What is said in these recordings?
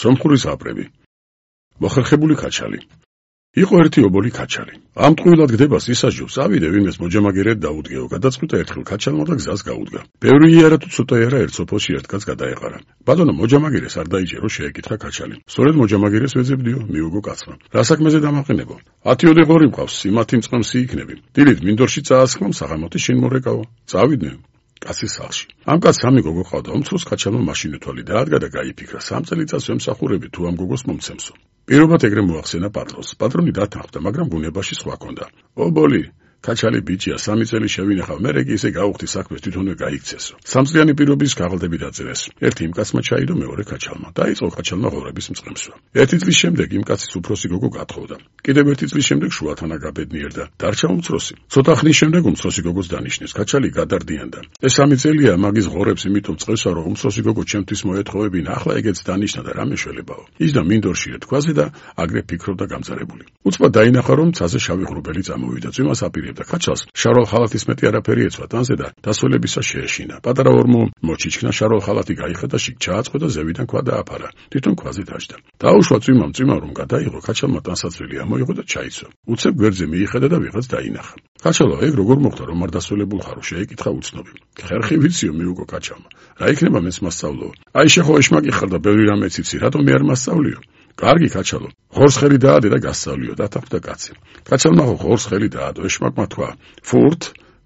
სომხურის აპრები. მოხერხებული ქაჩალი. იყო ერთი ობოლი ქაჩალი. ამ ტყუილად გდებას ისაჯობს, ავიდე ვინმეს მოჯამაგერედ დაუდგეო, გადაწყვიტა ერთხელ ქაჩალმა და გზას გაუდგა. ბევრი იარა თუ ცოტა იარა ერთ სოფელში ერთგაც გადაეყარა. ბატონო მოჯამაგერეს არ დაიჭერო, შეეკითხა ქაჩალი. სწორედ მოჯამაგერეს ვეძებდიო, მიუგო კაცმა. რა საქმეზე დამაყენებო? 10 ღორი მყავს, სიმათი მწყემსი იქნები. დილით მინდორში წაასხმამ, საღამოთი შინ მორეკავო. წავიდნენ კაცის სახლში. ამ კაცს სამი გოგო ყავდა, უმცროს ქაჩალმა მაშინ უთვალი დაადგა და გაიფიქრა, 3 წელიწადს ვემსახურები თუ ამ გოგოს მომცემსო. პირობად ეგრე მოახსენა პატრონს. პატრონი დათანხმდა, მაგრამ ბუნებაში სხვა ჰქონდა. ობოლი, ქაჩალი ბიჭია, 3 წელი შევინახავ, მერე კი ისე გაუხდი საქმეს, თვითონვე გაიქცესო. 3 წლიანი პირობის ქაღალდები დაწერეს. ერთი იმ კაცმა ჩაიდო, მეორე ქაჩალმა. დაიწყო ქაჩალმა ღორების მწყემსვა. 1 წლის შემდეგ იმ კაცის უფროსი გოგო გათხოვდა. კიდევ 1 წლის შემდეგ შუათანა გაბედნიერდა. დარჩა უმცროსი. ცოტა ხნის შემდეგ უმცროსი გოგოს დანიშნეს. ქაჩალი გადარდიანდა. ეს 3 წელია მაგის ღორებს იმითო წევსა, რომ უმცროსი გოგო ჩემთვის მოეთხოვებინა, ახლა ეგეც დანიშნა და რა მეშველებაო. ის და მინდორში ეთქვაზე და აგრე ფიქრობდა გამძარებული. უცბად დაინახა, რომ ცაზე შავი ღრუბელი წამოვიდა. წვიმას აპირებდა ქაჩალს. შარვალ ხალათის მეტი არაფერი ეცვა ტანზე და დასვლებისა შეეშინა. პატარა ორმო მოჩიჩქნა, შარვალ ხალათი გაიხედა, შიგ ჩააწყვეტა, ზევიდან ქვა დააფარა. თვითონ ქვაზე დაჯდა. დაუშვა წვიმა რომ გადაიღო, ქაჩალმა ტანსაცველი ამოიღო და ჩაიცვა. უცებ გვერდზე მიიხედა და ვიღაც დაინახა. ქაჩალო, ეგ როგორ მოხდა, რომ არ დასვლებულ ხარო? შეეკითხა უცნობი. ხერხი ვიციო, მიუგო ქაჩალმა. რა იქნება მეც მასწავლო? აი შეხო ეშმაკი ხარ და ბევრი რამე ციცი, რატომ მე არ მასწავლიო? კარგი ქაჩალო, ღორს ხელი დაადე და გასწავლიო, დათანხმდა კაცი. ქაჩალმა ღორს ხელი დაადო, ეშმაკმა თქვა, ფურთ,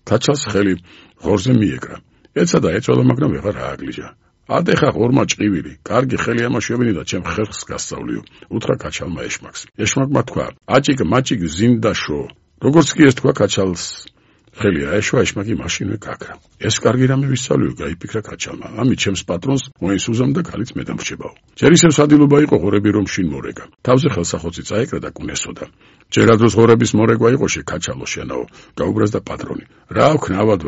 ქაჩალს ხელი ღორზე მიეკრა. ეცადა ეწოლა, მაგრამ ვეღარ ააგლიჯა. ადეხა ღორმა ჭყივილი, კარგი ხელი ამაშვებინი და ჩემ ხერხს გასწავლიო, უთხრა ქაჩალმა ეშმაკს. ეშმაკმა თქვა, აჭიკ მაჭიკ ზინდაშო. როგორც კი ეს თქვა ქაჩალს ხელი აეშვა, ეშმაკი მაშინვე გაქრა. ეს კარგი რამე ვისწავლიო, გაიფიქრა ქაჩალმა. ამით ჩემს პატრონს მოის უზამ და ქალიც მე დამრჩებაო. ჯერ ისევ სადილობა იყო ღორები რომ შინ მორეკა. თავზე ხელსახოცი წაეკრა და კუნესოდა. ჯერ ადროს ღორების მორეკვა იყო შეკაჩალო შენაო, გაუბრას და პატრონი. რა ვქნა, ავად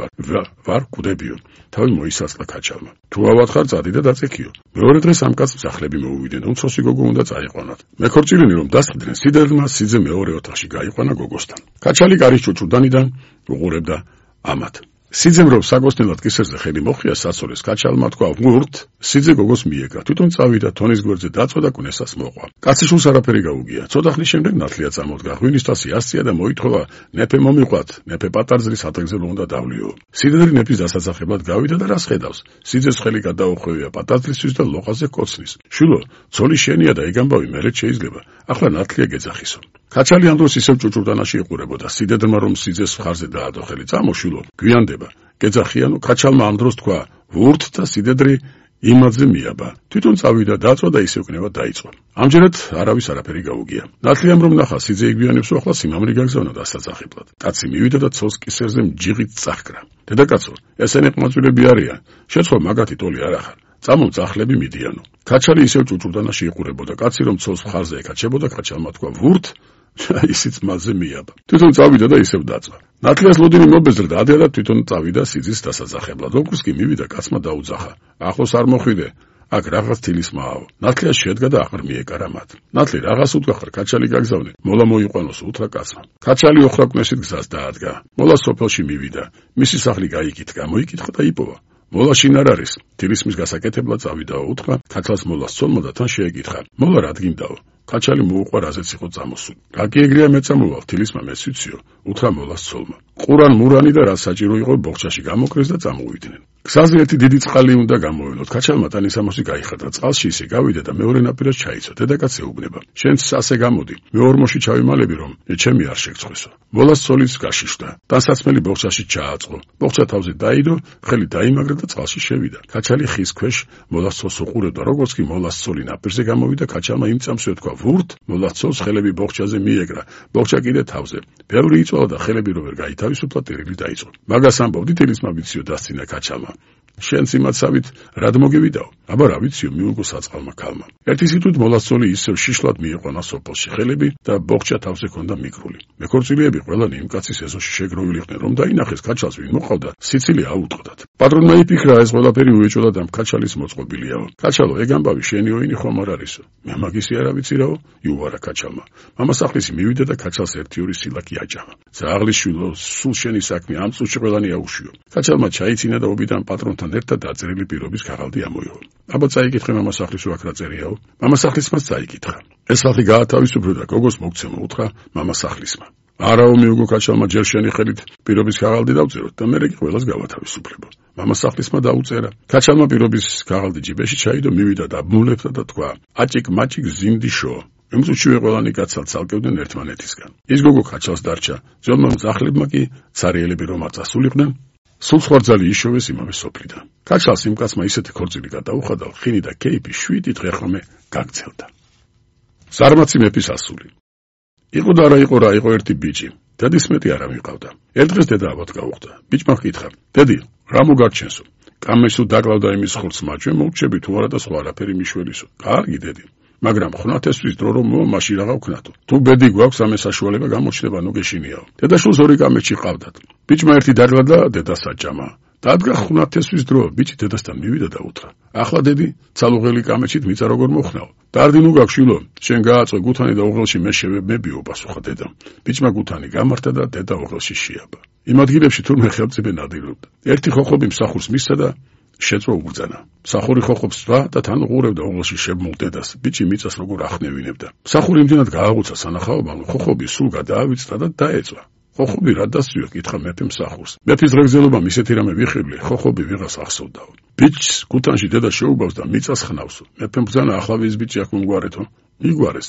ვარ კვდებიო. თავი მოისაწყლა ქაჩალმა. თუ ავად ხარ, წადი და დაწექიო. მეორე დღეს ამ კაცს მსახლები მოუვიდნენ, უმცროსი გოგო უნდა წაიყვანათ. მეკორწილინი რომ დასყიდნენ სიდერლმა, სიძე მეორე ოთახში გაიყვანა გოგოსთან. ქაჩალი კარის ჭუჭუდანიდან უყურებდა ამათ. სიძემ რომ საგოსნელად კისერზე ხელი მოხია, საცოლეს ქაჩალმა თქვა, ვურთ, სიძე გოგოს მიეკრა. თვითონ წავიდა, თონის გვერდზე დაწვა და კუნესას მოყვა. კაცი შულს არაფერი გაუგია. ცოტა ხნის შემდეგ ნათლია წამოდგა. ღვინის თასი ასწია და მოითხოვა, ნეფე მომიყვათ, ნეფე პატარძლის ათეგზელო უნდა დავლიო. სიდერი ნეფის დასაცახებლად გავიდა და რას ხედავს? სიძეს ხელი გადაუხვევია პატარძლისთვის და ლოყაზე კოცნის. შულო, ცოლი შენია და ეგ ამბავი მერე შეიძლება. ახლა ნათლია გეძახისო. ქაჩალი ამ დროს ისევ ჭუჭურდანაში იყურებოდა. სიდედრმა რომ სიძეს მხარზე დაადო ხელი, წამოშულო, გვიანდება. გეძახიანო, ქაჩალმა ამ დროს თქვა, ვურთ და სიდედრი იმადზე მიაბა. თვითონ წავიდა, დაწვა და ისევ კნება დაიწყო. ამჯერად არავის არაფერი გაუგია. ნათლიამ რომ ნახა, სიძე იგვიანებსო, ახლა სიმამრი გაგზავნა დასაცახებლად. კაცი მივიდა და ცოლს კისერზე მჯიღით წახკრა. დედაკაცო, ესენი ყმაწვილები არიან. შეცხოვ მაგათი ტოლი არ ახარ. წამომწახლები მიდიანო. ქაჩალი ისევ ჭუჭურდანაში იყურებოდა. კაცი რომ ცოლს მხარზე ეკაჩებოდა, ქაჩალმა თქვა, ვურთ, ისიც მასზე მიაბა. თვითონ წავიდა და ისევ დაწვა. ნათლიას ლოდინი მობეზრდა, ადედა თვითონ წავიდა სიძის დასაცახებლად. ოქროს კი მივიდა, კაცმა დაუძახა. ახლოს არ მოხვიდე. აქ რაღაც თილის მააო. ნათლია შედგა და აღარ მიეკარა მათ. ნათლი რაღაც უთქვახარ, ქაჩალი გაგზავნე. მოლა მოიყვანოს, უთხრა კაცმა. ქაჩალი ოხრაკვნესით გზას დაადგა. მოლა სოფელში მივიდა. მისი სახლი გაიკითხა, მოიკითხა და იპოვა. მოლა შინ არ არის. თილისმის გასაკეთებლად წავიდაო, უთხრა ქაჩალს მოლას ცოლმა და თან შეეკითხა. მოლა რა დგინდაო? ქაჩალი მოუყვა, რაზეც იყო წამოსული. რაკი ეგრეა მეწამოვალ, თილისმა მეც ვიციო, უთხრა მოლას ცოლმა. ყურან მურანი და რა საჭირო იყო ბოხჩაში გამოკრეს და წამოვიდნენ. გზაზე ერთი დიდი წყალი უნდა გამოველოთ. ქაჩალმა ტანისამოსი გაიხადა, წყალში ისე გავიდა და მეორე ნაპირას ჩაიცვა. დედაკაც ეუბნება, შენც ასე გამოდი, მე ორმოში ჩავიმალები რომ ჩემი არ შეგწხვესო. მოლას ცოლიც გაშიშდა. ტანსაცმელი ბოხჩაში ჩააწყო. ბოხჩა თავზე დაიდო, ხელი დაიმაგრა და წყალში შევიდა. ქაჩალი ხის ქვეშ მოლას ცოლს უყურებდა, როგორც კი მოლას ცოლი ნაპირზე გამოვიდა, ქაჩალმა იმ წამსვე თქვა, ვურთ, მოლას ცოლს ხელები ბოხჩაზე მიეკრა. ბოხჩა კიდე თავზე. ბევრი იწვალა და ხელები რო ვერ გაითავისუფლა, ტირილი დაიწყო. მაგას ამბობდი, თილისმა ვიციო, დასცინა ქაჩალმა. შენც იმაცავით რად მოგევიდაო? აბა რა ვიციო, მიუგო საწყალმა ქალმა. ერთი სიტყვით მოლას ცოლი ისევ შიშლად მიიყვანა სოფელში ხელები და ბოხჩა თავზე ჰქონდა მიკრული. მეკორწილიები ყველანი იმ კაცის ეზოში შეგროვილი იყვნენ, რომ დაინახეს ქაჩალს ვინ მოყავდა, სიცილი აუტყდათ. პატრონმა იფიქრა, ეს ყველაფერი უეჭვლა და ქაჩალის მოწყობილიაო. ქაჩალო, ეგ ამბავი შენი ოინი ხომ არ არისო? მე მაგისი არ ვიცი რაო, იუარა ქაჩალმა. მამასახლისი მივიდა და ქაჩალს ერთი-ორი სილაკი აჭამა. ძაღლის შვილო, სულ შენი საქმე, ამ წუთში ყველანი აუშვიო. ქაჩალმა ჩაიცინა და უბიდან პატრონთან ერთად დაწერილი პირობის ქაღალდი ამოიღო. აბა წაიკითხე მამასახლის აქ რა წერიაო? მამასახლისმაც წაიკითხა. ეს ხალხი გაათავისუფლო და გოგოს მოგცემო უთხრა მამასახლისმა. არაო მიუგო ქაჩალმა ჯერ შენი ხელით პირობის ქაღალდი დავწეროთ და მე კი ყველას გავათავისუფლებო. მამასახლისმა დაუწერა. ქაჩალმა პირობის ქაღალდი ჯიბეში ჩაიდო, მივიდა და ბმულებდა და თქვა: აჭიკ მაჭიკ ზინდიშო. ემსუჩივე ყველანი კაცალ ცალკევდნენ ერთმანეთისგან. ის გოგო ქაჩალს დარჩა. ძველმა მძახლებმა კი ცარიელები რომ არ წასულიყდნენ, სულ ხوارძალი იშოვეს იმავე სოფლიდან. ქაჩალს იმ კაცმა ისეთი ქორწილი გადაუხადა, ხინი და კეიფი 7 დღე ხოლმე გაგცელდა. ზარმაცი მეფის ასული. იყო და არა იყო რა, იყო ერთი ბიჭი. დედის მეტი არ ამიყავდა. ერთ დღეს დედა აბათ გაუხდა. ბიჭმა ჰკითხა: დედი, რა მოგარჩენსო? კამესო დაგლავდა იმის ხორცს მაჩვენ, მოგჩები თუ არა და სხვა არაფერი მიშველისო. კარგი დედი. მაგრამ ხნათესთვის დრო რომ მაშინ რაღა ვქნათო. თუ ბედი გვაქვს ამე საშუალება გამოჩნდება, ნუ გეშინიაო. დედაშვილს 2 კამეჩი ყავდათ. ბიჭმა ერთი დაგლა და დედას აჭამა. დადგა ხნათესთვის დრო, ბიჭი დედასთან მივიდა და უთხრა: ახლა დედი, ცალუღელი კამეჩით მიწა როგორ მოხნაო? დარდი ნუ გაგშვილო, შენ გააწვე გუთანი და უღელში მე შევებმებიო, პასუხა დედამ. ბიჭმა გუთანი გამართა და დედა უღელში შეაბა. იმ ადგილებში თურმე ხელმწიფე ნადირობდა. ერთი ხოხობი მსახურს მისცა და შეწვა უბრძანა. მსახური ხოხობს სვა და თან უყურებდა უღელში შებმულ დედას. ბიჭი მიწას როგორ ახნევინებდა. მსახური იმდენად გააღუცა სანახაობამ, ხოხობი სულ გადაავიწყდა და დაეწვა. ხოხობი რა დასწვიო? კითხა მეფე მსახურს. მეფის ღრეგზელობამ ისეთი რამე ვიხიბლი, ხოხობი ვიღას ახსოვდაო. ბიჭს გუთანში დედა შეუბავს და მიწას ხნავსო. მეფემ ბრძანა: ახლა ვის ბიჭი აქ მომგვარეთო? იგვარეს.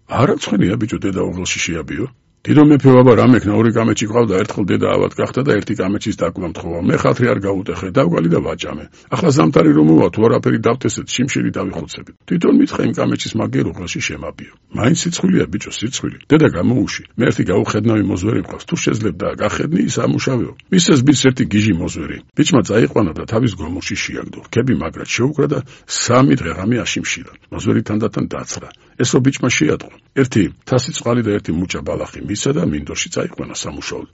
არა ცხენია ბიჭო, დედა უღელში შეაბიო. დიდო მეფე ვაბა რამე ქნა 2 კამეჩი ყავდა, ერთხელ დედა ავად გახდა და 1 კამეჩის დაკვლა მთხოვა. მე ხათრი არ გაუტეხე, დავგალი და ვაჭამე. ახლა ზამთარი რომ მოვა, თუ არაფერი დავთესეთ, შიმშილი დავიხოცებით. თვითონ მითხა იმ კამეჩის მაგერ უღელში შემაბიო. მაინც სიცხვილია ბიჭო, სიცხვილი. დედა გამოუში. მე ერთი გაუხედნავი მოზვერი მყავს, თუ შეძლებდა გახედნი ის ამუშავეო. მისეს ბიჭს ერთი გიჟი მოზვერი. ბიჭმა წაიყვანა და თავის გომურში შეაგდო. ქები მაგრად შეუკრა და 3 დღე ღამე აშიმშილა. მოზვერი თანდათან დაცხრა. ესო ბიჭმა შეატყო. ერთი თასი წყალი და ერთი მუჭა ბალახი მისა და მინდორში წაიყვანა სამუშაოდ.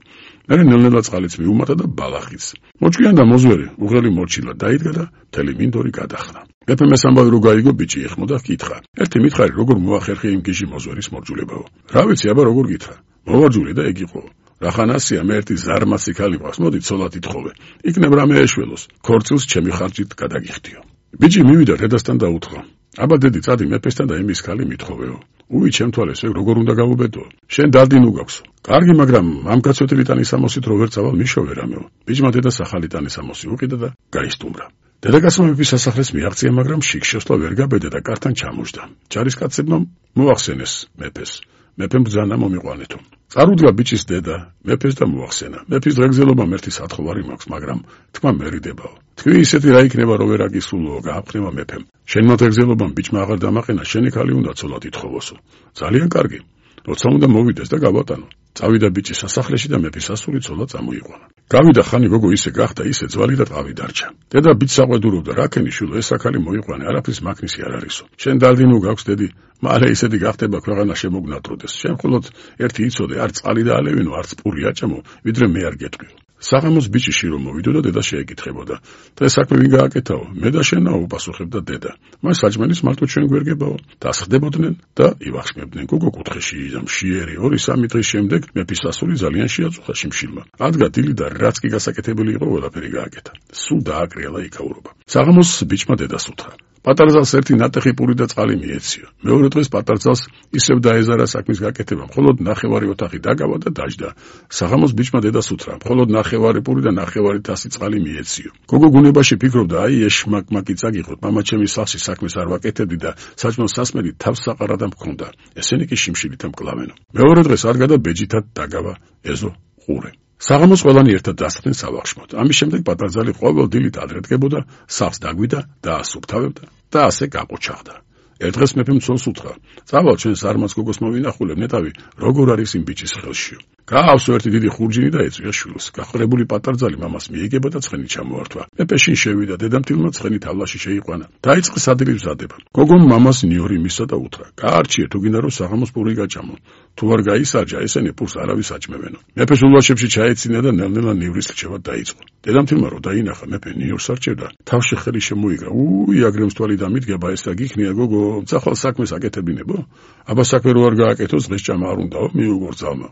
მე ნელ-ნელა წყალიც მიუმატა და ბალახიც. მოჭკიან და მოზვერი უღელი მორჩილა დაიდგა და მთელი მინდორი გადახნა. მეფე მესამბავი რო გაიგო, ბიჭი ეხმო და კითხა: ერთი მითხარი, როგორ მოახერხე იმ გიჟი მოზვერის მორჯულებაო? რა ვიცი, აბა როგორ გითხრა? მოვარჯული და ეგ იყო. რახანასია, მე ერთი ზარმაცი ქალი მყავს, მოდი ცოლად ითხოვე. იქნებ რამე ეშველოს, ქორწილს ჩემი ხარჯით გადაგიხდიო. ბიჭი მივიდა დედასთან და უთხრა: აბა დედი, წადი მეფესთან და იმის ქალი მითხოვეო. უი, ჩემთვალეს ეგ როგორ უნდა გავუბედო? შენ დარდი ნუ გაქვსო. კარგი, მაგრამ ამ კაცოთილი ტანის ამოსით რო ვერ წავალ მიშოვე რამეო. ბიჭმა დედას ახალი ტანის ამოსი უყიდა და გაისტუმრა. დედაკაცმა მეფის სასახლეს მიაღწია, მაგრამ შიგ-შესვლა ვერ გაბედა და კართან ჩამოჯდა. ჯარისკაცებმა მოახსენეს მეფეს. მეფემ ბრძანა მომიყვანეთო. წარუდგა ბიჭის დედა მეფეს და მოახსენა. მეფის ღრეგზელობამ ერთი სათხოვარი მაქვს, მაგრამ თქმა მერიდებაო. თქვი ისეთი რა იქნება, რომ ვერ აგისულო, გააფრთხილება მეფემ. შენმა ღრეგზელობამ ბიჭმა აღარ დამაყენა, შენი ქალი უნდა ცოლად ითხოვოსო. ძალიან კარგი. როცა უნდა მოვიდეს და გავატანო. წავიდა ბიჭი სასახლეში და მეფის ასული ცოლად წამოიყვანა. გავიდა ხანი გოგო ისე გახდა, ისე ძვალი და ტყავი დარჩა. დედა ბიჭს აყვედურობდა: რა ქენი შვილო, ეს აქალი მოიყვანე, არაფრის მაქნისი არ არისო. შენ დარდი ნუ გაქვს დედი, მალე ისეთი გახდება, ქვეყანა შემოგნატროდეს. შენ მხოლოდ ერთი იცოდე, არ წყალი და ალევინო, არც პური აჭამო, ვიდრე მე არ გეტყვიო. საღამოს ბიჭი შირო მოვიდო და დედა შეეკითხებოდა: დღეს საქმე ვინ გააკეთაო? მე და შენაო, უპასუხებდა დედა. მას საჭმელის მარტო ჩვენ გვერგებაო. დასხდებოდნენ და ივახშმებდნენ. გოგო კუთხეში მშიერი 2-3 დღის შემდეგ მეფის ასული ძალიან შეაწუხა შიმშილმა. ადგა დილი და რაც კი გასაკეთებელი იყო, ყველაფერი გააკეთა. სულ დააკრიალა იქაურობა. საღამოს ბიჭმა დედას უთხრა: პატარძალს ერთი ნატეხი პური და წყალი მიეციო. მეორე დღეს პატარძალს ისევ დაეზარა საქმის გაკეთება, მხოლოდ ნახევარი ოთახი დაგავა და დაჯდა. საღამოს ბიჭმა დედას უთხრა: მხოლოდ ნახევარი პური და ნახევარი თასი წყალი მიეციო. გოგო გუნებაში ფიქრობდა: აი ეს შმაკმაკი წაგიღოთ, მამა ჩემის სახლში საქმეს არ ვაკეთებდი და საჭმელს სასმელი თავს საყარად მქონდა. ესენი კი შიმშილით მკლავენო. მეორე დღეს ადგა და ბეჯითად დაგავა ეზო ყურე. საღამოს ყველანი ერთად დასხდნენ სავახშმოდ. ამის შემდეგ პატარძალი ყოველ დილით ადრე დგებოდა, სახლს დაგვიდა და ასუფთავებდა და ასე გაყოჩაღდა. ერთ დღეს მეფემ ცოლს უთხრა: წავალ ჩვენ ზარმაც გოგოს მოვინახულებ, ნეტავი როგორ არის იმ ბიჭის ხელშიო. გაავსო ერთი დიდი ხურჯინი და ეწვია შვილს. გახარებული პატარძალი მამას მიიგება და ცხენი ჩამოართვა. მეფე შინ შევიდა, დედამთილმა ცხენი თავლაში შეიყვანა. დაიწყე სადილის მზადება. გოგომ მამას ნიორი მისცა და უთხრა: გაარჩიე, თუ გინდა რომ საღამოს პური გაჭამო. თუ არ გაისარჯა, ესენი პურს არავის აჭმევენო. მეფეს ულვაშებში ჩაეცინა და ნელ-ნელა ნივრის რჩევა დაიწყო. დედამთილმა რო დაინახა, მეფე ნიორს არჩევდა, თავში ხელი შემოიგრა. უი, აგრემსტვალი დამიდგება, ეს რა გიქნია გოგო, ძახვალ საქმეს აკეთებინებო? აბა საქმე რო არ გააკეთოს, დღეს ჭამა არ უნდაო, მიუგორ ძალმა.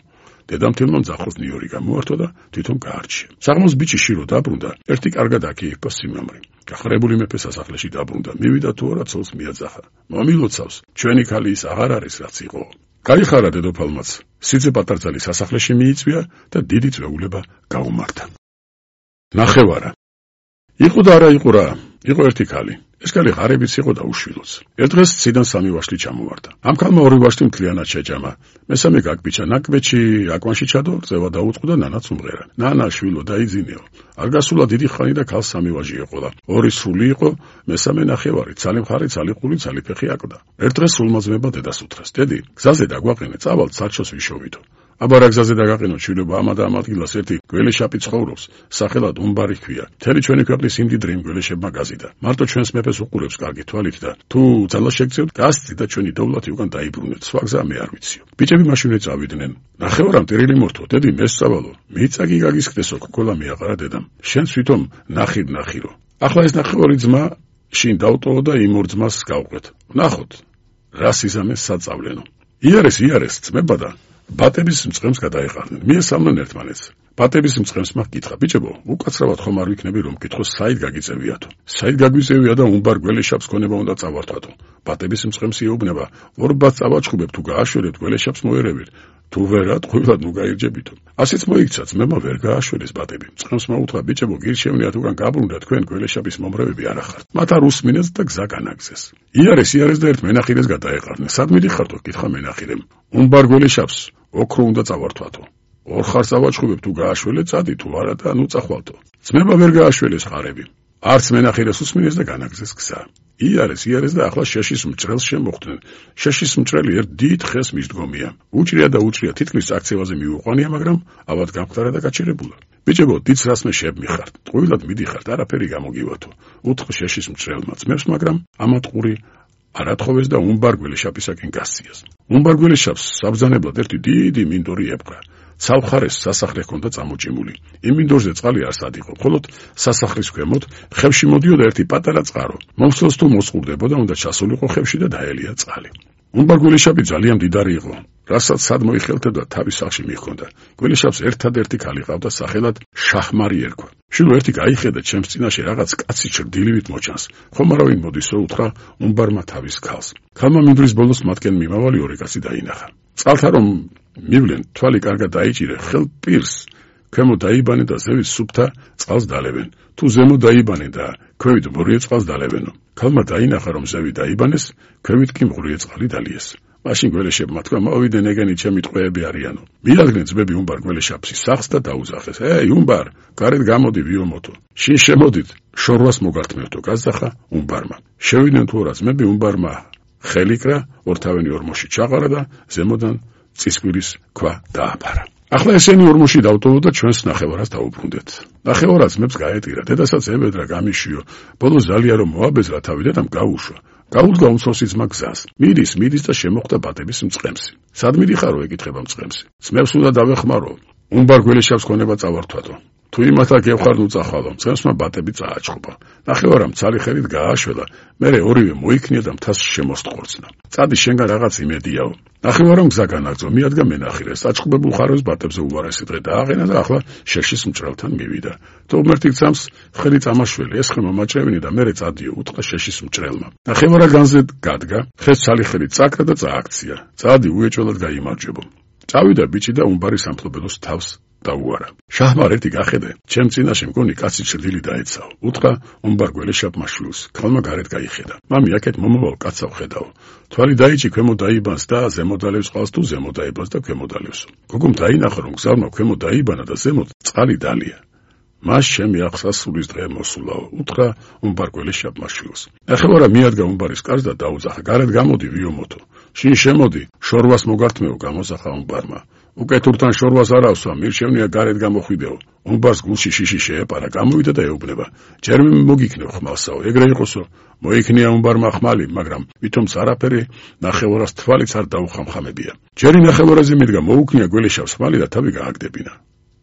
დედამთილმა მძახოს ნიორი გამოართვა და თვითონ გაარჩია. საღამოს ბიჭი შირო დაბრუნდა, ერთი კარგად აქ-იქ სიმამრი. გახარებული მეფე სასახლეში დაბრუნდა, მივიდა თუ არა ცოლს მიაძახა. მომილოცავს, ჩვენი ქალი ის აღარ არის რაც იყო. გაიხარა დედოფალმაც, სიძე პატარძალი სასახლეში მიიწვია და დიდი წვეულება გაუმართა. ნახევარა. იყო და არა იყო რა, იყო ერთი ქალი. ეს ქალი ღარებიც იყო და უშვილოც. ერთ დღეს ციდან სამი ვაშლი ჩამოვარდა. ამ ქალმა ორი ვაშლი მთლიანად შეჯამა. მესამე გაგბიჭა ნაკბეთში, აკვანში ჩადო, წევა დაუწყო და ნანაც უმღერა. ნანა შვილო დაიძინეო. არ გასულა დიდი ხანი და ქალს სამი ვაჟი ეყოლა. ორი სული იყო, მესამე ნახევარი, ცალი მხარი, ცალი ყული, ცალი ფეხი აკვდა. ერთ დღეს სულმაზმება დედას უთხრას: დედი, გზაზე დაგვაყენე, წავალ სარჩოს ვიშოვიდო. აბა რა გზაზე დაგაყენო შვილობა, ამა და ამ ადგილას ერთი გველეშაპი ცხოვრობს, სახელად უმბარი ჰქვია. მთელი ჩვენი ქვეყნის იმდიდრი იმ გველეშებმა გაზიდა. მარტო ჩვენს მეფეს უყურებს კარგი თვალით და თუ ძალა შეგწევთ, გასცი და ჩვენი დოვლათი უკან დაიბრუნეთ. სხვა გზა მე არ ვიციო. ბიჭები მაშინვე წავიდნენ. ნახევარამ ტირილი მორთო, დედი მესწავალო. მიწაგი გაგისკდესო, კოკოლა მიაყარა დედამ. შენს თვითონ ნახირო. ახლა ეს ნახევარი ძმა შინ დავტოვო და იმ ორ ძმას გავყვეთ. ნახოთ, რა სიზამეს საწავლენო. იარეს ძმება და ბატების მწყემს გადაეყარნენ. მიესალმნენ ერთმანეთს. ბატების მწყემს მაგ კითხა: ბიჭებო, უკაცრავად ხომ არ ვიქნები რომ კითხოს საით გაგიწევიათო. საით გაგვიწევია და უმბარ გველეშაპს ქონება უნდა წავართვათო. ბატების მწყემს იუბნება: ორ ბატს წავაჩხუბებ, თუ გააშველეთ გველეშაპს მოერევით. თუ ვერა ტყუილად ნუ გაირჯებითო. ასეც მოიქცა, ძმებმა ვერ გააშველეს ბატები. მწყემს მოუთხრა: ბიჭებო, გირჩევნიათ უკან გაბრუნდა, თქვენ გველეშაპის მომრევები არ ახართ. მათ არ უსმინეს და გზა განაგზეს. იარეს და ერთ მენახირეს გადაეყარნენ. სად მიდიხართო? კითხა მენახირემ. უმბარ გველეშაპს ოქრო უნდა წავართვათო. ორ ხარს ავაჩხუბებ, თუ გააშველეთ, წადი, თუ არა და ნუ წახვალთო. ძმება ვერ გააშველეს ხარები. არც მენახირეს უსმინეს და განაგზეს გზა. იარეს და ახლა შეშის მჭრელს შემოხვდნენ. შეშის მჭრელი ერთ დიდ ხეს მისდგომია. უჭრია, თითქმის აქცევაზე მიუყვანია, მაგრამ ავად გამختარა და გაჩერებულა. ბიჭებო, დიდს რას მე შემიხართ? ტყუილად მიდიხართ, არაფერი გამოგივათო. უთხრა შეშის მჭრელმა ძმებს, მაგრამ ამა ტყური არათხოვეს და უმბარ გველეშაპისაკენ გასციას. უმბარ გველეშაპს საბრძანებლად ერთი დიდი მინდორი ეპყრა. ცალხარეს სასახლე ჰქონდა წამოჭიმული. იმ მინდორზე წყალი არ სად იყო, მხოლოდ სასახლის ქვემოთ ხევში მოდიოდა ერთი პატარა წყარო. მომსვლელს თუ მოსყურდებოდა, უნდა ჩასულიყო ხევში და დაელია წყალი. უმბარ გველეშაპი ძალიან მდიდარი იყო, რასაც სად მოიხელთებდა თავის სახლში მიჰქონდა. გველეშაპს ერთადერთი ქალი ჰყავდა, სახელად შაჰმარი ერქვა. შვილო, ერთი გაიხედა, ჩემს წინაშე რაღაც კაცი ჩრდილივით მოჩანს. ხომ არავინ მოდისო, უთხრა უმბარმა თავის ქალს. ქალმა მინდვრის ბოლოს მათკენ მიმავალი ორი კაცი დაინახა. წყალთა რომ მივლენ, თვალი კარგად დაიჭირე, ხელ პირს ქვემო დაიბანე და ზევით სუფთა წყალს დალებენ. თუ ზემო დაიბანე და ქვევით მღვრიე წყალს დალებენო. ქალმა დაინახა, რომ ზევით დაიბანეს, ქვევით კი მღვრიე წყალი დალიეს. მაშინ გველეშაპმა თქვა: მოვიდენ ეგენი ჩემი ტყვეები არიანო. მიადგნენ ძმები უმბარ გველეშაპის სახლს და დაუძახეს: უმბარ, გარეთ გამოდი ვიომოთო. შინ შემოდით, შორვას მოგართმევთო. გაზახა უმბარმა. შევიდნენ თუ არა ძმები, უმბარმა ხელიკრა, ორთავენი ორმოში ჩაყარა და ზემოდან წისკვირის ქვა დააფარა. ახლა ესენი ორმოში დავტოვო და ჩვენს ნახევარას დაუბრუნდეთ. ნახევარა ძმებს გაეტირა, დედასაც ებედრა გამიშიო. ბოლოს ზალია რომ მოაბეზრა თავი დედამ გაუშვა. გაუდგა უმცროსი ძმა გზას. მიდის და შემოხვდა ბატების მწყემსი. სად მიდიხარო? ეკითხება მწყემსი. ძმებს უნდა დავეხმარო. უმბარ გველეშაპს ქონება წავართვათო. თუ იმათ აქ ევხარ ნუ წახვალო. მწყემსმა ბატები წააჩხობა. ნახევარამ ცალი ხელით გააშველა, მერე ორივე მოიქნია და მთას შემოსტყორცნა. წადი, შენგან რაღაც იმედიაო. ნახევარამ გზა განაგრძო, მიადგა მენახირეს. აჩხუბებულ ხარებს ბატებზე უვარესი დღე დააყენა და ახლა შეშის მჭრელთან მივიდა. თუ ღმერთი გძამს, ხელი წამაშველი, ეს ხე მომაჭრევინე და მერე წადიო, უთხრა შეშის მჭრელმა. ნახევარა განზე გადგა, ხეს ცალი ხელით წაკრა და წააქცია. წადი, უეჭველად გაიმარჯვებო. წავიდა ბიჭი და უმბარი სამფლობელოს თავს დაუარა. შაჰმარ ერთი გახედე, ჩემ წინაშე მგონი კაცი ჩრდილი დაეცაო. უთხრა უმბარ გველეშაპმა შვილს. ქალმა გარეთ გაიხედა. მამი, აქეთ მომავალ კაცსა ვხედავ. თვალი დაიჭი, ქვემო დაიბანს და ზემო დალევს წყალს, თუ ზემო დაიბანს და ქვემო დალევსო. გოგომ დაინახა, რომ გზავნა ქვემო დაიბანა და ზემოთ წყალი დალია. მას ჩემი აღსასრულის დღე მოსულაო. უთხრა უმბარ გველეშაპმა შვილს. ნახევარა მიადგა უმბარის კარს და დაუძახა: გარეთ გამოდი ვიომოთო. შინ შემოდი, შორვას მოგართმევ, გამოსახა უმბარმა. უკეთურთან შორვას არ ავსვა, მირჩევნია გარეთ გამოხვიდეო. უმბარს გულში შიში შეეპარა, გამოვიდა და ეუბნება: ჯერ მოგიქნევ ხმალსაო, ეგრე იყოსო. მოიქნია უმბარმა ხმალი, მაგრამ ვითომც არაფერი ნახევარას თვალიც არ დაუხამხამებია. ჯერი ნახევარაზე მიდგა, მოუქნია გველეშაპს ხმალი და თავი გააგდებინა.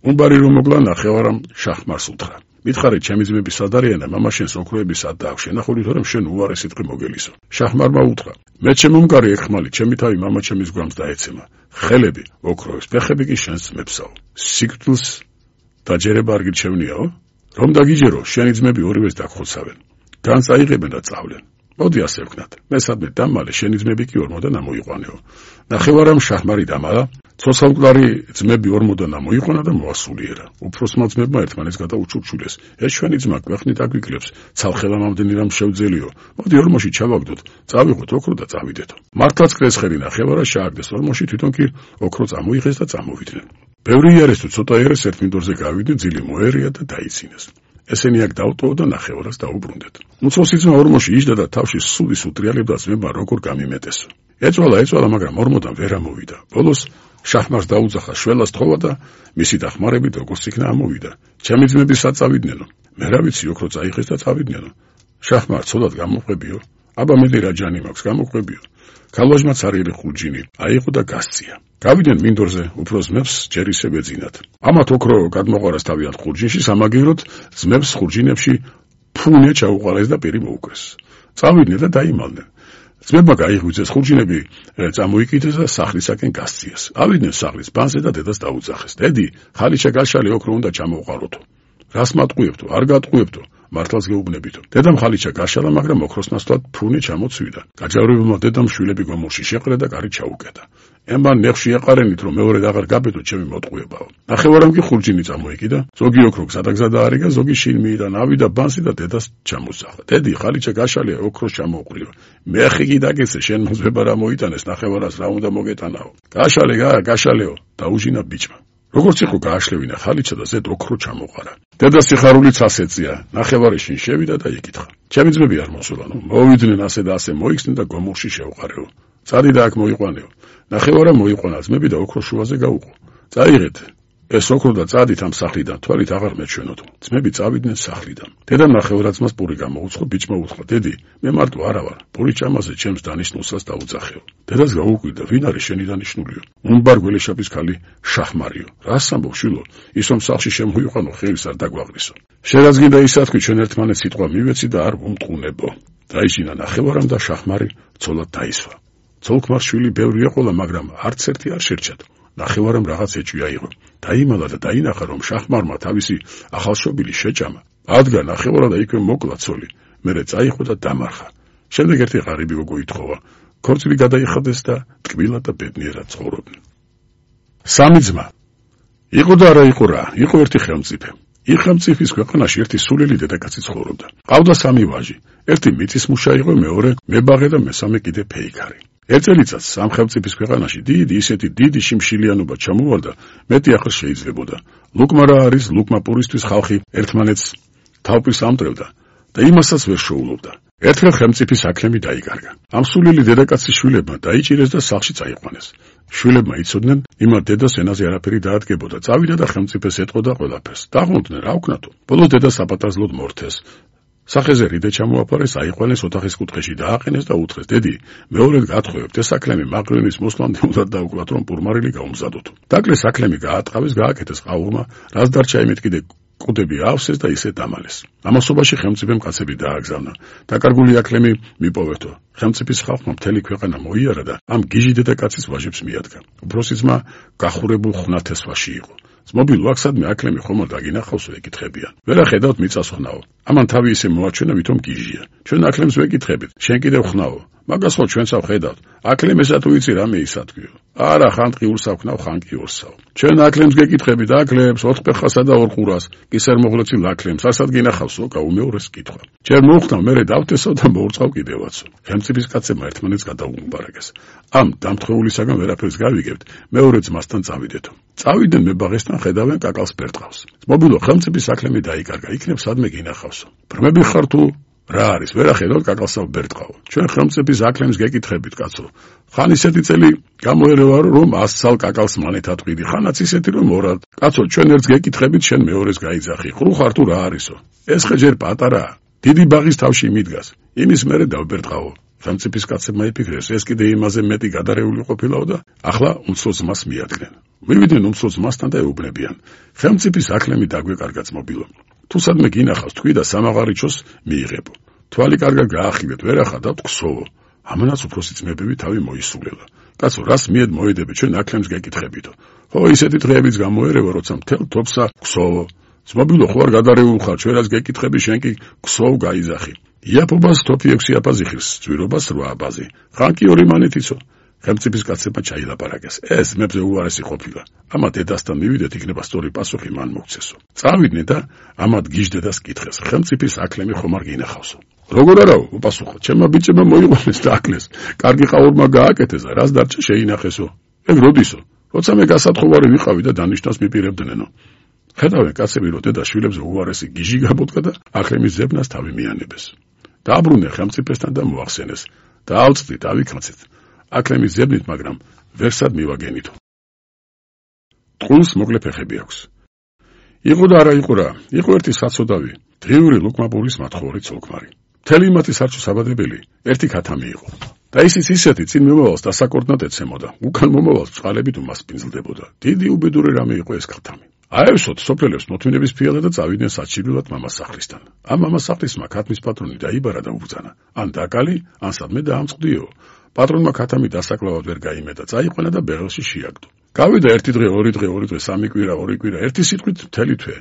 უმბარი რომ მოგლა, ნახევარამ შაჰმარს უთხრა: მითხარი, ჩემი ძმები სად არიან და მამა შენს ოქროები სად დააქვს? შენახული თორემ შენ უარესი დღე მოგელისო. შაჰმარმა უთხრა: მე ჩემომკარი ეგ ხმალი, ჩემი თავი მამა ჩემის გვამს დაეცემა. ხელები ოქროებს, ფეხები კი შენს ძმებსაო. სიკვდილს დაჯერება არ გირჩევნიაო? რომ დაგიჯერო, შენი ძმები ორივეს დაგხოცავენ. განს აიღებენ და წავლენ. მოდი ასე ვქნათ. მე სადმე დამალე შენი ძმები კი ორმოდან ამოიყვანეო. ნახევარამ შაჰმარი დამალა, ცოცხალმკვდარი ძმები ორმოდან ამოიყვანა და მოასულიერა. უფროსმა ძმებმა ერთმანეთს გადაუჩურჩულეს. ეს ჩვენი ძმა ქვეყნით აგვიკლებს, ცალხელამამდენი რამ შევძელიო. მოდი ორმოში ჩავაგდოთ, წავიღოთ ოქრო და წავიდეთო. მართლაც კრესხერი ნახევარა შეაგდეს ორმოში, თვითონ კი ოქრო წამოიღეს და წამოვიდნენ. ბევრი იარეს თუ ცოტა იარეს ერთ მინდორზე გავიდნენ, ძილი მოერია და დაიცინეს. ესენი აქ დავტოვო და ნახევარას დაუბრუნდეთ. უმცროსი ძმა ორმოში იჯდა და თავში სულის უტრიალებდა ძმებმა როგორ გამიმეტესო. ეწვალა, მაგრამ ორმოდან ვერ ამოვიდა. ბოლოს შაჰმარს დაუძახა შველას თხოვა და მისი დახმარებით როგორც იქნა ამოვიდა. ჩემი ძმები საწავიდნენო. მე რა ვიცი, ოქრო წაიღეს და წავიდნენ. შაჰმარ ცოლად გამოყვებიო. აბა მე რა ჯანი მაქვს, გამოყვებიო. ქალვაჟმაც არიელი ხურჯინი აიღო და გასწია. გავიდნენ მინდორზე, უფროს ძმებს ჯერ ისევ ეძინათ. ამათ ოქრო გადმოყვარას თავიანთ ხურჯინში, სამაგიეროდ ძმებს ხურჯინებში ფუნე ჩაუყარეს და პირი მოუκრეს. წავიდნენ და დაიმალდნენ. ძმებმა გაიღვიძეს ხურჯინები, წამოიკიდეს და სახლისაკენ გასწიეს. ავიდნენ სახლის ბანზე და დედას დაუძახეს. დედი, ხალიჩა გაშალი ოქრო უნდა ჩამოვყაროთო. რას მატყუებთო, არ გატყუებთო, მართლაც გეუბნებითო. დედამ ხალიჩა გაშალა, მაგრამ ოქროს ნაცვლად ფუნე ჩამოცვიდა. გაჯავრებულმა დედამ შვილები გომურში შეყრა და კარი ჩაუკეტა. ემან ნეხში ეყარენით, რომ მეორედ აღარ გაბედო ჩემი მოტყუებაო. ნახევარამ კი ხურჯინი წამოიკიდა, ზოგი ოქრო გზადაგზადა არიგა, ზოგი შინ მიიდან ავიდა ბანსი და დედას ჩამოსახა. დედი, ხალიჩა გაშალია, ოქროს ჩამოუყრიო. მეხი კი დაგეცე, შენ მოძება რა მოიტანეს, ნახევარას რა უნდა მოგეტანაო. გაშალეო, დაუჟინა ბიჭმა. როგორც იყო გააშლევინა ხალიჩა და ზედ ოქრო ჩამოყარა. დედა სიხარულიც ასეწია, ნახევარი შინ შევიდა და იკითხა. ჩემი ძმები არ მოსულანო, მოვიდნენ ასე და ასე მოიხსნენ და გომურში შევყარეო. წადი და აქ მოიყვანეო. ნახევარა მოიყვანა ძმები და ოქრო შუაზე გაუყო. წაიღეთ ეს ოქრო და წადით ამ სახლიდან, თვალით აღარ მეჩვენოთო. ძმები წავიდნენ სახლიდან. დედამ ნახევარაძმას პური გამოუცხო, ბიჭმა უთხრა, დედი, მე მარტო არა ვარ, პური ჭამაზე ჩემს დანიშნულსაც დაუძახეო. დედას გაუკვირდა, ვინ არის შენი დანიშნულიო? უნბარ გველეშაპის ქალი შაჰმარიო. რას ამბობ შვილო? ის რომ სახლში შემოიყვანო, ხელის არ დაგვაღრისო. შენაც გინდა ისათქვი, ჩვენ ერთმანეთს სიტყვა მივეცი და არ ვუმტყუნებო. დაიჯინა ნახევარამ და შაჰმარი ცოლად დაისვა. ცოლქმარ შვილი ბევრია ყოლა, მაგრამ არც ერთი არ შერჩათ. ნახევარამ რაღაც ეჭვი აიღო. დაიმალა და დაინახა, რომ შაჰმარმა თავისი ახალშობილი შეჭამა. ადგა ნახევარა და იქვე მოკლა ცოლი. მერე წაიღო და დამარხა. შემდეგ ერთი ღარიბი გოგო ითხოვა. ქორწილი გადაიხადეს და ტკბილად და ბედნიერად ცხოვრობდნენ. სამი ძმა. იყო და არა იყო რა, იყო ერთი ხელმწიფე. იქ ხელმწიფის ქვეყანაში ერთი სულელი დედაკაცი ცხოვრობდა. ყავდა სამი ვაჟი. ერთი მიწის მუშა იყო, მეორე მებაღე და მესამე კიდე ფეიქარი. ერთ წელიწადს ამ ხელმწიფის ქვეყანაში ისეთი დიდი შიმშილიანობა ჩამოვარდა, მეტი ახლა შეიძლებოდა. ლუკმა რა არის, ლუკმა პურისთვის ხალხი ერთმანეთს თავპირს ამტვრევდა და იმასაც ვერ შეულობდა. ერთხელ ხელმწიფის აკლემი დაიკარგა. ამ სულელი დედაკაცის შვილებმა დაიჭირეს და სახლში წაიყვანეს. შვილებმა იცოდნენ, იმათ დედას ენაზე არაფერი დაადგებოდა. წავიდა და ხელმწიფეს ეტყოდა ყველაფერს. დაღმოდნენ რა უკნათო. ბოლოს დედა საპატარძლოდ მორთეს. სახეზე რიდე ჩამოაფარეს, აიყვანეს ოთახის კუთხეში დააყენეს და უთხრეს, დედი, მეორედ გათხოვებთ, ეს აკლემი მაყრენის მოსვლამდე უნდა დაუკლათ, რომ პურმარილი გაუმზადოთ. დაკლეს აკლემი გაატყავეს, გააკეთეს ყაურმა, რაც დარჩა იმით კიდე კუდები ავსეს და ისე დამალეს. ამასობაში ხელმწიფემ კაცები დააგზავნა. დაკარგული აკლემი მიპოვეთო. ხელმწიფის ხალხმა მთელი ქვეყანა მოიარა და ამ გიჟი დედაკაცის ვაჟებს მიადგა. უფროსი ძმა გახურებულ ხვნათეს ვაში იყო. ძმობილო, აქ სადმე აკლემი ხომალ დაგინახავსო, ეკითხებიან. ვერა ხედავთ მიწას ხვნაო. ამან თავი ისე მოაჩვენა, ვითომ გიჟია. ჩვენ აკლემს ვეკითხებით, შენ კიდევ ხვნაო. მაგას ხო ჩვენსავ ხედავთ. აკლემესა თუ იცი რამე ისათქვიო. არა, ხან ტყიურსავ ხნავ, ხან კი ორსავ. ჩვენ აკლემს გეკითხებით, აკლემს, ოთხფეხასა და ორ ყურას, კისერმოღლეცილ აკლემს, ასად გინახავსო, გაუმეორეს კითხვა. ჯერ მოუხდავ, მერე დავტესო და მოურწყავ კიდევაცო. ხელმწიფის კაცებმა ერთმანეთს გადაუუმბარაგეს. ამ დამთხეულისაგან ვერაფერს გავიგებთ, მეორე ძმასთან წავიდეთო. წავიდნენ მებაღესთან, ხედავენ კაკალს ბერტყავს. ძმობილო, ხელმწიფის აკლემი დაიკარგა, იქნებ სადმე გინახავსო. ბრმები ხარ თუ რა არის, ვერა ხედავთ კაკალსავ ბერტყავ. ჩვენ ხელმწიფის აკლემს გეკითხებით, კაცო. ხან ისეთი წელი გამოერევა, რომ 100 წალ კაკალს მანეთ ატყვიდი, ხანაც ისეთი რომ ორად. კაცო, ჩვენ ერთს გეკითხებით, შენ მეორეს გაიძახი. ხრო ხარ თუ რა არისო? ეს ხე ჯერ პატარაა. დიდი ბაღის თავში მიდგას. იმის მერე დავბერტყავო. ხელმწიფის კაცებმა იფიქრეს, ეს კიდე იმაზე მეტი გადარეული ყოფილაო და ახლა უმცროს ძმას მიადგნენ. მივიდნენ უმცროს ძმასთან და ეუბნებიან. ხელმწიფის აკლემი დაგვეკარგა ძმობილო. თუ სადმე გინახავს თქვი და სამაღარიჩოს მიიღებო. თვალი კარგად გაახილეთ, ვერ ახადავთ ქსოვო. ამანაც უფროსი ძმებები თავი მოისულელა. კაცო, რას მიედ მოედები, ჩვენ აქლემს გეკითხებითო. ხო, ისეთი დღეებიც გამოერევა, როცა მთელ თოფსა ქსოვო. ძმობილო, ხო არ გადარეულ ხარ, ჩვენ რაც გეკითხები, შენ კი ქსოვ გაიზახი. იაფობას თოფი 6 აბაზი ხირს, ძვირობას 8 აბაზი. ხან კი 2 მანეთიცო. ხელმწიფის კაცებმა ჩაილაპარაკეს. ეს მეებზე უარესი ყოფილა. ამა დედასთან მივიდეთ, იქნება სწორი პასუხი მან მოგცესო. წავიდნენ და ამათ გიჟდედას კითხეს. ხელმწიფის აკლემი ხომ არ გინახავსო? როგორ არაო, უპასუხო, ჩემმა ბიჭებმა მოიყვანეს და აკლეს. კარგი ყაურმა გააკეთეს და რას დარჩა შეინახესო. ეგ როდისო? როცა მე გასათხოვარი ვიყავი და დანიშნავს მიპირებდნენო. ხედავენ კაცები, რომ დედა შვილებზე უარესი გიჟი გაბოდგა და აკლემის ზებნას თავი მიანებეს. დააბრუნე ხელმწიფესთან და მოახსენეს. დაავწდით, ავიქაცეთ. აკლემის ზებნით, მაგრამ ვერსად მივაგენითო. ტყუილს მოკლე ფეხები აქვს. იყო და არა იყო რა, იყო ერთი საცოდავი, დღიური ლუკმაპურის მათხოვარი ცოლქმარი. მთელი მათი სარჩო-საბადებელი ერთი ქათამი იყო. და ისიც ისეთი წინ მომავალს დასაკორდნად ეცემოდა, უკან მომავალს წყალებით უმასპინძლდებოდა. დიდი უბედური რამე იყო ეს ქათამი. აევსოთ სოფლელებს მოთმინების ფიალა და წავიდნენ საჩიბრილად მამასახლისთან. ამ მამასახლისმა ქათმის პატრონი დაიბარა და უბრძანა, ან დაკალი, ან სადმე დაამწყდიო. პატრონმა ქათამი დასაკლავად ვერ გაიმეტა, წაიყვანა და ბეღელში შეაგდო. გავიდა 1 დღე, 2 დღე, 2 დღე, 3 კვირა, 2 კვირა, ერთი სიტყვით მთელი თვე.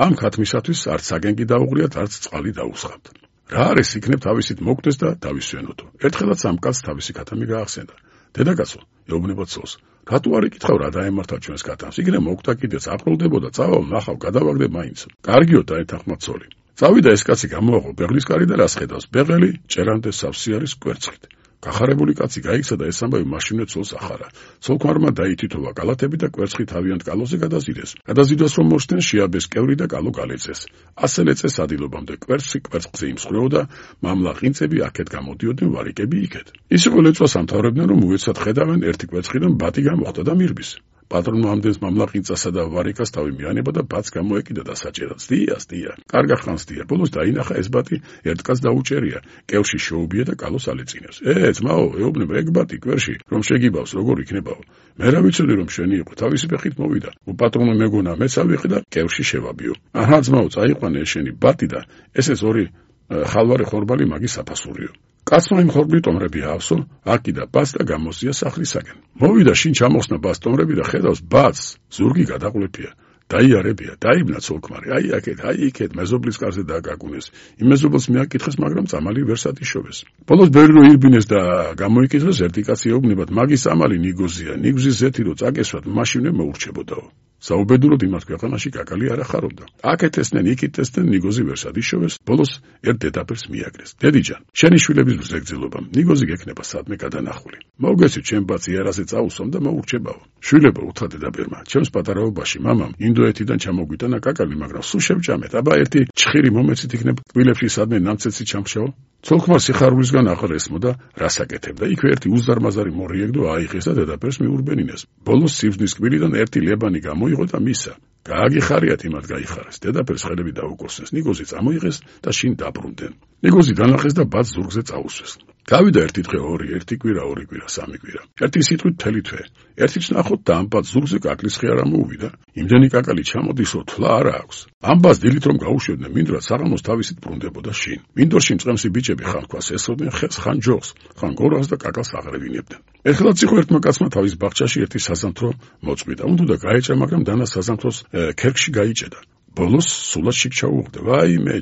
ამ ქათმისათვის არც საგენგი დაუღრიათ, არც წყალი დაუსხამთ. რა არის იქნებ თავისით მოგდეს და დავისვენოდო. ერთხელაც ამ კაცს თავისი ქათამი გაახსენდა. დედაკაცო, ეუბნება ცოლს, რატო არ იკითხავ რა დაემართა ჩვენს ქათამს? იქნე მოგდა კიდეც აპროლდებოდა, წავალ ნახავ, გადავაგდებ მაინც. კარგიო დაეთანხმა ცოლი. წავიდა ეს კაცი გამოაყო ბეღლის კარი და რას ხედავს? ბეღელი ჭერანდეს სავსე არის კვერცხით. გახარებული კაცი გაიქცა და ეს ამბავი მაშინვე ცოლს ახარა. ცოლქმარმა დაითითოვა კალათები და კვერცხი თავიანთ კალოზე გადაზიდეს. გადაზიდვას რომ მოხდნენ, შეაბეს კევრი და კალო გალეწეს. ასე ლეწეს ადილობამდე კვერცხი კვერცხზე იმსხვრეოდა, მამლა ყინწები აქეთ გამოდიოდნენ, ვარიკები იქეთ. ის იყო ლეწვას ამთავრებდნენ, რომ უეცად ხედავენ ერთი კვერცხიდან ბატი გამოხდა და მირბის. პატრონმა ამდენს მამლა ყინწასა და ვარიკას თავი მიანება და ბატს გამოეკიდა და საჭერად. სტია. კარგა ხანს სტია. ბოლოს დაინახა ეს ბატი ერთ კაცს დაუჭერია. კევში შეუბია და კალოს ალეწინებს. ძმაო, ეუბნება ეგ ბატი კვერში, რომ შეგიბავს, როგორ იქნებაო? მე რა ვიცოდი რომ შენი იყო, თავისი ფეხით მოვიდა. უპატრონო მეგონა, მეც ავიღე და კევში შევაბიო. აჰა, ძმაო, წაიყვანე ეს შენი ბატი და ესეც 2 ხალვარი ხორბალი მაგის საფასურიო. კაცმა იმ ხორბლით ტომრები აავსო, აკიდა ბატს და გამოსია სახლისაკენ. მოვიდა შინ ჩამოხსნა ბატს ტომრები და ხედავს ბატს, ზურგი გადაყლეფია. დაიარებია, დაიბნა ცოლქმარი, აი აქეთ, მეზობლის კარზე დააკაკუნეს. იმ მეზობელს მიაკითხეს, მაგრამ წამალი ვერსად იშოვეს. ბოლოს ბევრი რო ირბინეს და გამოიკითხეს, ერთი კაცი ეუბნებათ, მაგის წამალი ნიგოზია, ნიგზის ზეთი რო წაკესვათ, მაშინვე მოურჩებოდაო. საუბედუროდ იმათ ქვეყანაში კაკალი არ ახარობდა. აქეთ ესნენ, იქით ესნენ, ნიგოზი ვერსად იშოვეს, ბოლოს ერთ დედაფერს მიაგრეს. დედიჯან, შენი შვილების მზეგრძელობამ, ნიგოზი გექნება სადმე გადანახული. მოგესწრით, ჩემ ბატს იარაზე წაუსვამ და მოურჩებაო. შვილებო, უთხრა დედაბერმა, ჩემს პატარაობაში მამამ ინდოეთიდან ჩამოგვიტანა კაკალი, მაგრამ სულ შევჭამეთ. აბა ერთი ჩხირი მომეცით იქნებ კბილებში სადმე ნამცეცი ჩამხშაო. ცოლქმარ სიხარულისგან აღარ ესმოდა, რას აკეთებდა. იქვე ერთი უზარმაზარი მორიეგდო აიღეს და დედაფერს მიურბენინეს. ბოლოს სიბზნის კბილიდან ერთი ლებანი გამოიღო და მისა. გააგიხარიათ იმათ გაიხარეს. დედაფერს ხელები დაუკოსეს. ნიგოზი წამოიღეს და შინ დაბრუნდნენ. ნიგოზი განახეს და ბატს ზურგზე წაუსვეს. გავიდა ერთი დღე, 2, 1 კვირა, 2 კვირა, 3 კვირა. ერთი სიტყვით მთელი თვე. ერთიც ნახოთ და ამ ბატს ზურგზე კაკლის ხე არ ამოუვიდა. იმდენი კაკალი ჩამოდისო, თვლა არა აქვს. ამ ბატს დილით რომ გაუშვებდნენ, მინდვრად საღამოს თავისით ბრუნდებოდა შინ. მინდორში მწყემსი ბიჭები ხან ქვას ესხოდნენ ხეს, ხან ჯოხს, ხან გორას და კაკალს აღრევინებდნენ. ეხლაც იყო ერთმა კაცმა თავის ბაღჩაში ერთი საზამთრო მოწყვიტა. უნდა გაეჭრა, მაგრამ დანა საზამთროს ქერქში გაიჭედა. ბოლოს სულად შიგ ჩაუღდა. ვაიმე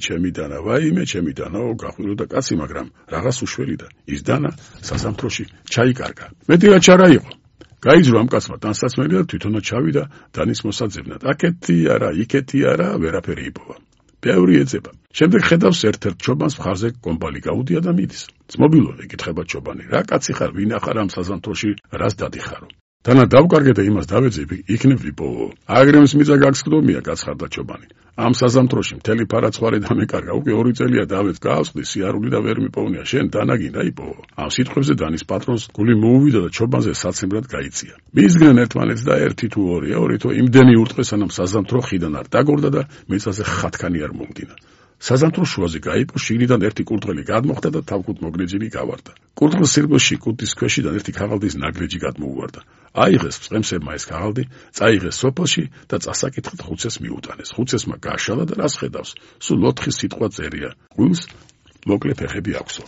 ჩემი დანაო, გახვიროდა კაცი, მაგრამ რაღაც უშველი და ის დანა საზამთროში ჩაიკარგა. მეტი რა ჩარა იყო. გაიძრო ამ კაცმა ტანსაცმელი და თვითონაც ჩავიდა დანის მოსაძებნად. აქეთი არა, იქეთი არა, ვერაფერი იპოვა. ბევრი ეძება. შემდეგ ხედავს ერთ-ერთ ჩობანს მხარზე კომბალი გაუდია და მიდის. ძმობილო, ეკითხება ჩობანი, რა კაცი ხარ, ვინ ახარ ამ საზამთროში, რას დადიხარო? დანა დავკარგე და იმას დავეძებ, იქნებ ვიპოვო. აგრემს მიწა გაგსკდომია, გაცხარდა ჩობანი. ამ საზამთროში მთელი ფარაცხარი დამეკარგა, უკვე 2 წელია დავეც გაავსდი, სიარული და ვერ მიპოვნია, შენ დანაგინდა იპოვო. ამ სიტყვებზე დანის პატრონს გული მოუვიდა და ჩობანზე საცემრად გაიწია. მისგნენ ერთმანეთს და 1 თუ 2 თუ იმდენი ურტყეს, სანამ საზამთრო ხიდან არ დაგორდა და მიწაზე ხათქანი არ მომდინა. საზამთრო შუაზე გაიპო, შიგნიდან ერთი კურდღელი გადმოხდა და თავკუთ მოგრეჯილი გავარდა. კურდღლის სირბილში კუდის ქვეშიდან ერთი ქაღალდის ნაგრეჯი გადმოუვარდა. აიღეს წყემსებმა ეს ქაღალდი, წაიღეს სოფელში და წასაკითხით ხუცეს მიუტანეს. ხუცესმა გაშალა და რას ხედავს? სულ 4 სიტყვა წერია. გულს მოკლე ფეხები აქვსო.